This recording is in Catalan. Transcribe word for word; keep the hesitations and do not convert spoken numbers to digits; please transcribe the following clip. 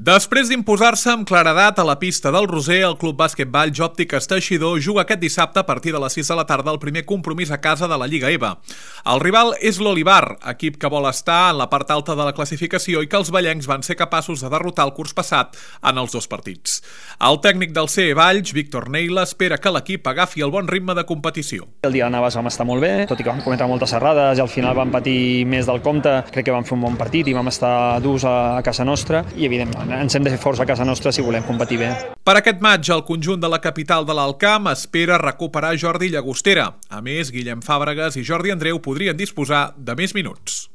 Després d'imposar-se amb claredat a la pista del Roser, el Club Bàsquet Valls Òptiques Teixidor juga aquest dissabte a partir de les sis de la tarda el primer compromís a casa de la Lliga E V A. El rival és l'Olivar, equip que vol estar en la part alta de la classificació i que els vallencs van ser capaços de derrotar el curs passat en els dos partits. El tècnic del C E Valls, Víctor Neila, espera que l'equip agafi el bon ritme de competició. El dia de Navas vam estar molt bé, tot i que vam cometre moltes errades i al final vam patir més del compte. Crec que vam fer un bon partit i vam estar durs a, a casa nostra i evidentment ens hem de fer forts a casa nostra si volem competir bé. Per aquest maig, el conjunt de la capital de l'Alt Camp espera recuperar Jordi Llagostera. A més, Guillem Fàbregas i Jordi Andreu podrien disposar de més minuts.